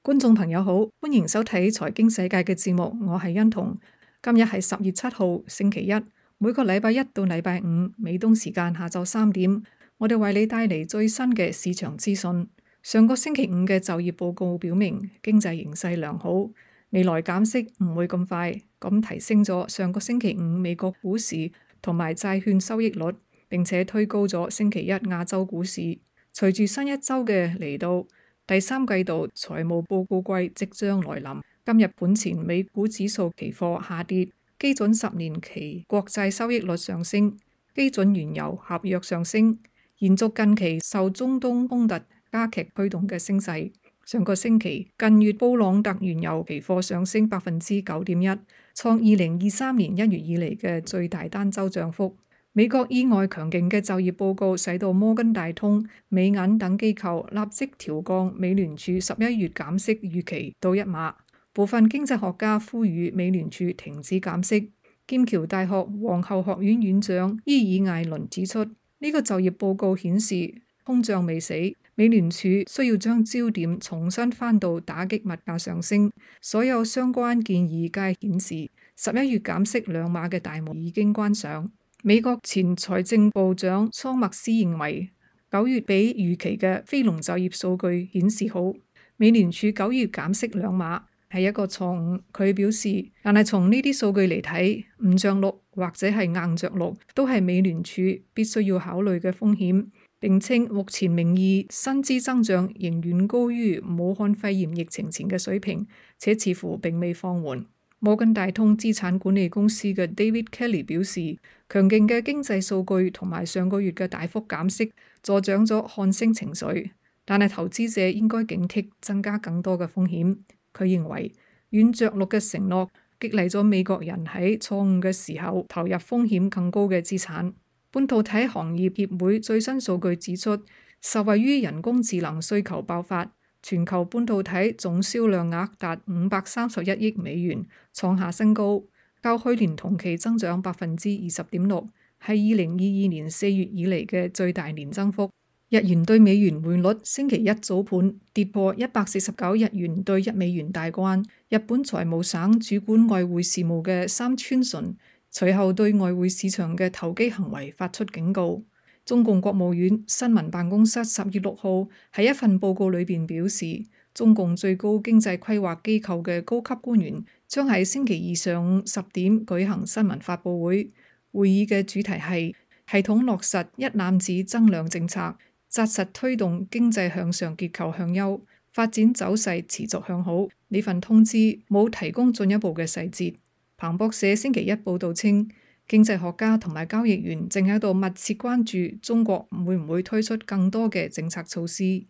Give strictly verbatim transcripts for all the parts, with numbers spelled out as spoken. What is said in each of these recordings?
觀眾朋友好，歡迎收睇財經世界嘅節目，我係欣彤。今日係十月七號星期一，每個禮拜一到禮拜五美東時間下晝三點，我哋為你帶嚟最新嘅市場資訊。上個星期五嘅就業報告表明經濟形勢良好，未來減息唔會咁快，咁提升咗上個星期五美國股市同埋債券收益率，並且推高咗星期一亞洲股市。隨住新一周嘅嚟到，第三季度財務報告季即將來臨。今日盤前美股指數期貨下跌，基準十年期國債收益率上升，基準原油合約上升，延續近期受中東衝突加劇驅動嘅升勢。上個星期近月布朗特原油期貨上升百分之九點一，創二零二三年一月以嚟嘅最大單周漲幅。美國意外強勁嘅就業報告使到摩根大通、美銀等機構立即調降美聯儲十一月減息預期到一碼。部分經濟學家呼籲美聯儲停止減息。劍橋大學皇后學院院長伊爾艾倫指出，呢、這個就業報告顯示通脹未死，美聯儲需要將焦點重新翻到打擊物價上升。所有相關建議皆顯示十一月減息兩碼嘅大門已經關上。美國前財政部長桑默斯認為，九月比預期嘅非農就業數據顯示好，美聯儲九月減息兩碼係一個錯誤。佢表示，但係從呢啲數據嚟睇，唔着陸或者係硬着陸都係美聯儲必須要考慮嘅風險。並稱目前名義薪資增長仍遠高於武漢肺炎疫情前嘅水平，且似乎並未放緩。摩根大通資產管理公司嘅 David Kelly 表示，強勁嘅經濟數據同埋上個月嘅大幅減息助長咗看升情緒，但係投資者應該警惕增加更多嘅風險。佢認為軟着陸嘅承諾激勵咗美國人喺錯誤嘅時候投入風險更高嘅資產。半導體行業協會最新數據指出，受惠於人工智能需求爆發，全球半導體總銷量額達五百三十一億美元，創下新高，較去年同期增長百分之二十點六，係二零二二年四月以嚟嘅最大年增幅。日元對美元匯率星期一早盤跌破一百四十九日元對一美元大關。日本財務省主管外匯事務嘅三村淳隨後對外匯市場嘅投機行為發出警告。中共國務院新聞辦公室十月六號喺一份報告裏邊表示，中共最高經濟規劃機構嘅高級官員將喺星期二上午十點舉行新聞發佈會。會議嘅主題係系統落實一攬子增量政策，紮實推動經濟向上結構向優，發展走勢持續向好。呢份通知冇提供進一步嘅細節。彭博社星期一報道稱，經濟學家同埋交易員正喺度密切關注中國會唔會推出更多嘅政策措施。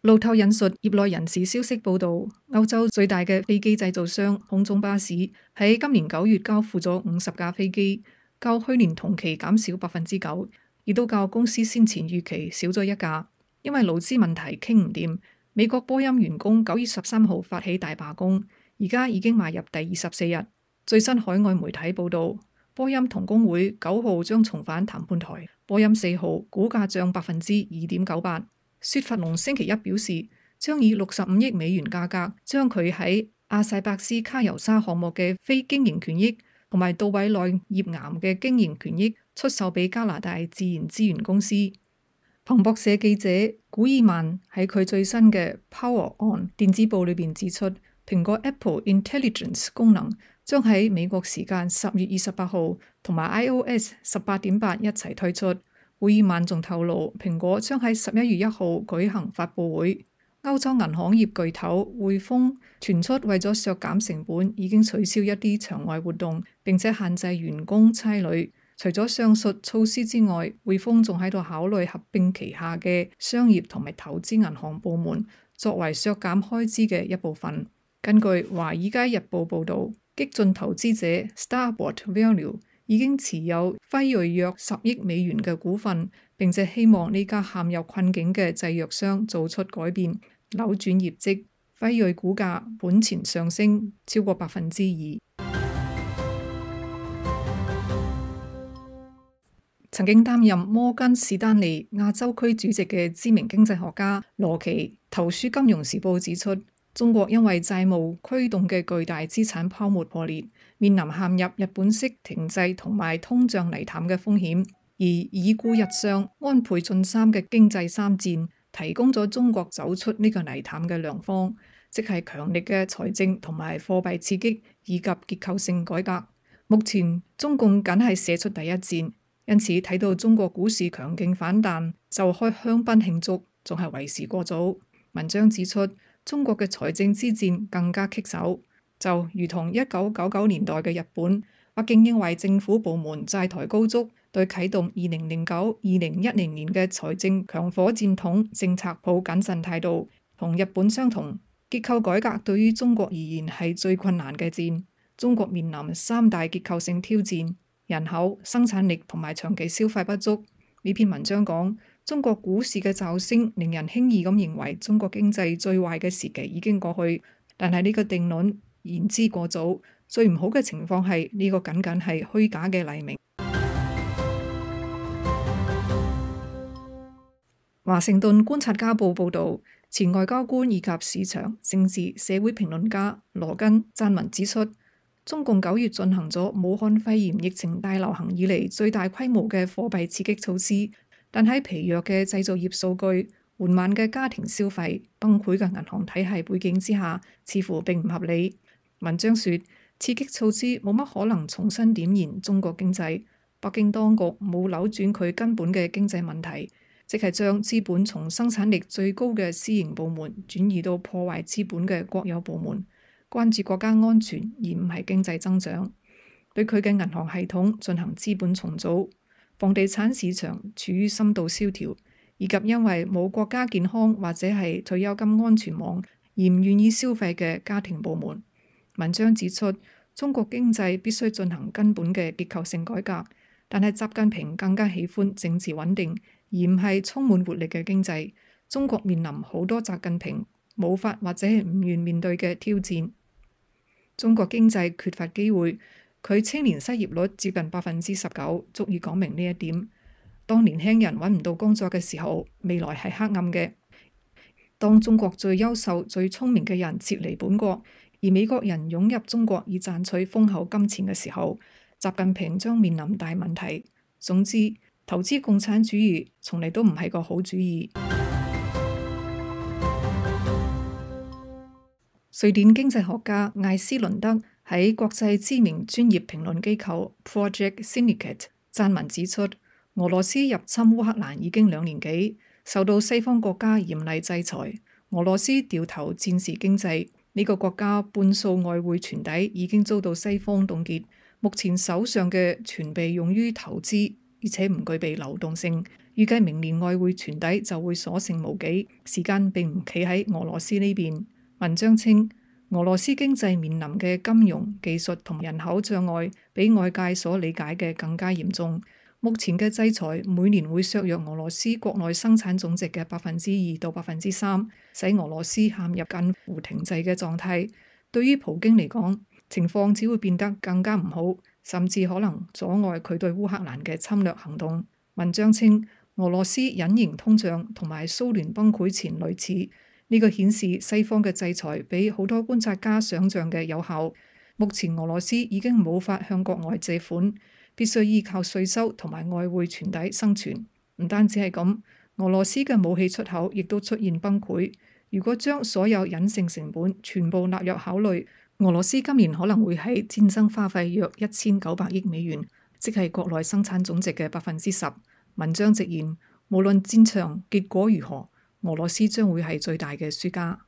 路透引述業內人士消息報道，歐洲最大嘅飛機製造商空中巴士喺今年九月交付咗五十架飛機，較去年同期減少百分之九，亦都較公司先前預期少咗一架，因為勞資問題傾唔掂。美國波音員工九月十三號發起大罷工，而家已經邁入第二十四日。最新海外媒體報道，波音同工會九號將重返談判台。波音四號股價漲百分之二點九八。雪佛龍星期一表示，將以六十五億美元價格將佢喺阿塞伯斯卡尤沙項目嘅非經營權益同埋杜委內頁岩嘅經營權益出售俾加拿大自然資源公司。彭博社記者古爾曼喺佢最新嘅 Power On 電子報裏邊指出，蘋果 Apple Intelligence 功能將喺美國時間十月二十八號同埋 iOS 十八點八一齊推出。古爾曼仲透露，蘋果將喺十一月一號舉行發佈會。歐洲銀行業巨頭匯豐傳出為咗削減成本，已經取消一啲場外活動，並且限制員工差旅。除咗上述措施之外，匯豐仲喺度考慮合併旗下嘅商業同埋投資銀行部門，作為削減開支嘅一部分。根據《華爾街日報》報導，激進投資者 Starboard Value 已經持有輝瑞約十億美元嘅股份，並且希望呢家陷入困境嘅製藥商做出改變，扭轉業績。輝瑞股價本前上升超過百分之二。曾經擔任摩根士丹利亞洲區主席嘅知名經濟學家羅奇投書《金融時報》指出，中國因為債務驅動嘅巨大資產泡沫破裂，面臨陷入日本式停滯同埋通脹泥潭嘅風險，而已故日相安倍晉三嘅經濟三戰提供咗中國走出呢個泥潭嘅良方，即係強力嘅財政同埋貨幣刺激以及結構性改革。目前中共僅係射出第一箭，因此睇到中國股市強勁反彈就開香檳慶祝，仲係為時過早。文章指出，中國嘅財政之戰更加棘手，就如同一九九九年代嘅日本，北京認為政府部門債台高築，對啟動二零零九、二零一零年嘅財政強火箭筒政策抱謹慎態度，同日本相同。結構改革對於中國而言係最困難嘅戰。中國面臨三大結構性挑戰：人口、生產力同埋長期消費不足。呢篇文章講，中國股市嘅驟升令人輕易咁認為中國經濟最壞嘅時期已經過去，但係呢個定論言之過早。最唔好嘅情況係呢個僅僅係虛假嘅黎明。華盛頓觀察家報報導，前外交官以及市場、政治、社會評論家羅根撰文指出，中共九月進行咗武漢肺炎疫情大流行以嚟最大規模嘅貨幣刺激措施，但喺疲弱嘅製造業數據、緩慢嘅家庭消費、崩潰嘅銀行體系背景之下，似乎並唔合理。文章說，刺激措施冇乜可能重新點燃中國經濟，北京當局冇扭轉佢根本嘅經濟問題，即係將資本從生產力最高嘅私營部門轉移到破壞資本嘅國有部門，關注國家安全而唔係經濟增長，對佢嘅銀行系統進行資本重組，房地產市場處於深度蕭條，以及因為冇國家健康或者係退休金安全網而唔願意消費嘅家庭部門。文章指出，中國經濟必須進行根本嘅結構性改革，但係習近平更加喜歡政治穩定，而唔係充滿活力嘅經濟。中國面臨好多習近平冇法或者係唔願面對嘅挑戰。中國經濟缺乏機會，佢青年失業率接近百分之十九，足以講明呢一點。當年輕人揾唔到工作嘅時候，未來係黑暗嘅。當中國最優秀、最聰明嘅人撤離本國，而美國人湧入中國以賺取豐厚金錢嘅時候，習近平將面臨大問題。總之，投資共產主義從嚟都唔係個好主意。瑞典經濟學家艾斯倫德喺國際知名專業評論機構 Project Syndicate 撰文指出，俄羅斯入侵烏克蘭已經兩年幾，受到西方國家嚴厲制裁。俄羅斯掉頭戰時經濟，呢、這個國家半數外匯存底已經遭到西方凍結，目前手上嘅全被用於投資，而且唔具備流動性。預計明年外匯存底就會所剩無幾，時間並唔企喺俄羅斯呢邊。文章稱，俄羅斯經濟面臨嘅金融、技術同人口障礙比外界所理解嘅更加嚴重。目前嘅制裁每年會削弱俄羅斯國內生產總值嘅百分之二到百分之三，使俄羅斯陷入近乎停滯嘅狀態。對於普京嚟講，情況只會變得更加唔好，甚至可能阻礙佢對烏克蘭嘅侵略行動。文章稱，俄羅斯隱形通脹同埋蘇聯崩潰前類似。呢個顯示西方嘅制裁比好多觀察家想象嘅有效。目前俄羅斯已經無法向國外借款，必須依靠稅收同埋外匯存底生存。唔單止係咁，俄羅斯嘅武器出口亦都出現崩潰。如果將所有隱性成本全部納入考慮，俄羅斯今年可能會喺戰爭花費約一千九百億美元，即係國內生產總值嘅百分之十。文章直言，無論戰場結果如何，俄羅斯將會係最大嘅輸家。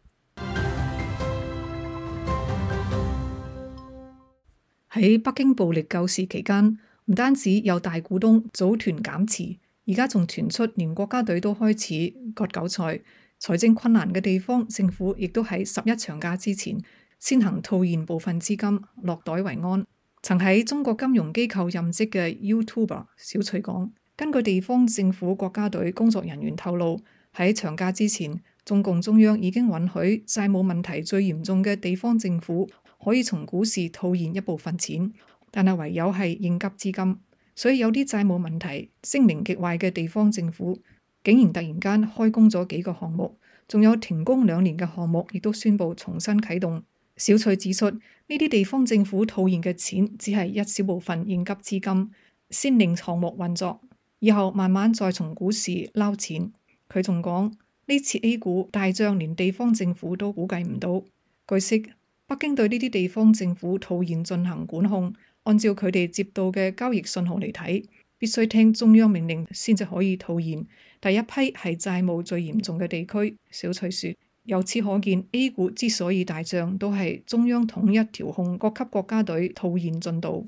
喺北京暴力救市期間，唔單止有大股東組團減持，而家仲傳出連國家隊都開始割韭菜。財政困難嘅地方，政府亦都喺十一長假之前先行套現部分資金，落袋為安。曾喺中國金融機構任職嘅 YouTuber 小翠講，根據地方政府國家隊工作人員透露，喺長假之前，中共中央已經允許債務問題最嚴重嘅地方政府可以從股市套現一部分錢，但係唯有係應急資金。所以有啲債務問題聲名極壞嘅地方政府，竟然突然間開工咗幾個項目，仲有停工兩年嘅項目，亦都宣布重新啟動。小翠指出，呢啲地方政府套現嘅錢只係一小部分應急資金，先令項目運作，以後慢慢再從股市撈錢。佢仲講，呢次 A 股大漲，連地方政府都估計唔到。據悉，北京對呢啲地方政府套現進行管控，按照佢哋接到嘅交易信號嚟睇，必須聽中央命令先至可以套現。第一批係債務最嚴重嘅地區。小翠說，由此可見 A 股之所以大漲，都係中央統一調控各級國家隊套現進度。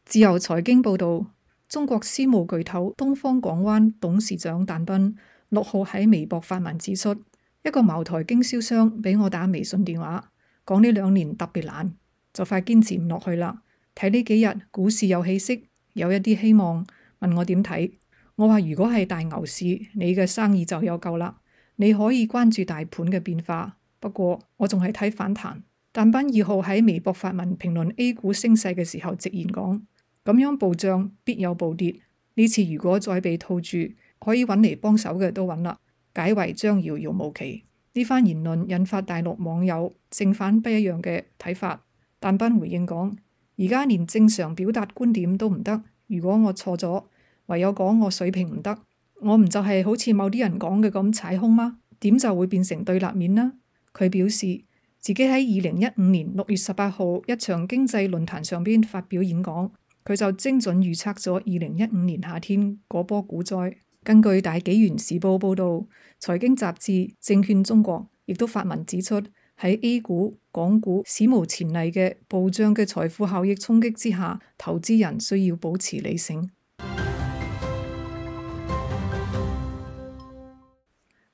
自由財經報導，中國私募巨頭東方港灣董事長但斌六號喺微博發文指出，一個茅台經銷商俾我打微信電話，講呢兩年特別難，就快堅持唔落去啦。睇呢幾日股市有起色，有一啲希望，問我點睇。我話如果係大牛市，你嘅生意就有救啦。你可以關注大盤嘅變化，不過我仲係睇反彈。但斌二號喺微博發文評論 A 股升勢嘅時候，直言講，咁樣暴漲必有暴跌，呢次如果再被套住，可以揾嚟幫手嘅都揾啦，解圍將遙遙無期。呢番言論引發大陸網友正反不一樣嘅睇法。但斌回應講，而家連正常表達觀點都唔得，如果我錯咗，唯有講我水平唔得，我唔就係好似某啲人講嘅咁踩空嗎？點就會變成對立面呢？佢表示自己喺二零一五年六月十八號一場經濟論壇上邊發表演講，佢就精準預測咗二零一五年夏天嗰波股災。根據大紀元時報報導，財經雜誌證券中國亦都發文指出，喺 A 股、港股史無前例嘅暴漲嘅財富效益衝擊之下，投資人需要保持理性。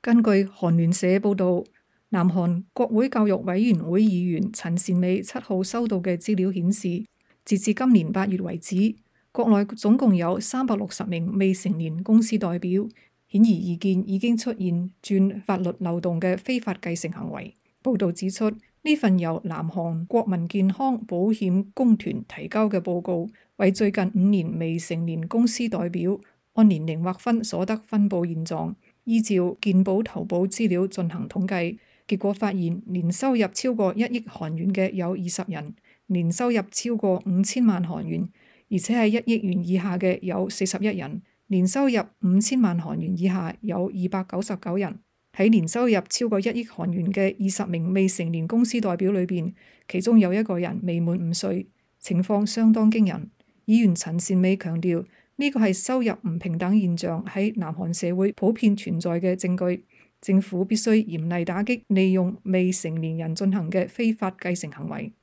根據韓聯社報導，南韓國會教育委員會議員陳善美七號收到嘅資料顯示，截至今年八月為止，國內總共有三百六十名未成年公司代表，顯而易見已經出現鑽法律漏洞嘅非法繼承行為。報導指出，呢份由南韓國民健康保險公團提交嘅報告，為最近五年未成年公司代表按年齡劃分所得分佈現狀，依照健保投保資料進行統計，結果發現年收入超過一億韓元嘅有二十人，年收入超過五千萬韓元，而且係一億元以下嘅有四十一人，年收入五千萬韓元以下有二百九十九人。喺年收入超過一億韓元嘅二十名未成年公司代表裏邊，其中有一個人未滿五歲，情況相當驚人。議員陳善美強調，呢個係收入唔平等現象喺南韓社會普遍存在嘅證據，政府必須嚴厲打擊利用未成年人進行嘅非法繼承行為。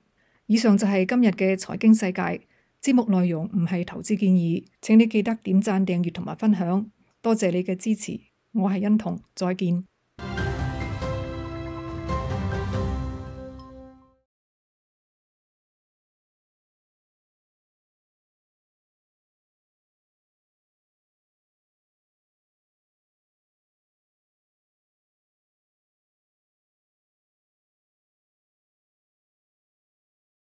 以上就係今日嘅財經世界，節目內容唔係投資建議，請你記得點讚、訂閱同埋分享，多謝你嘅支持。我係欣彤，再見。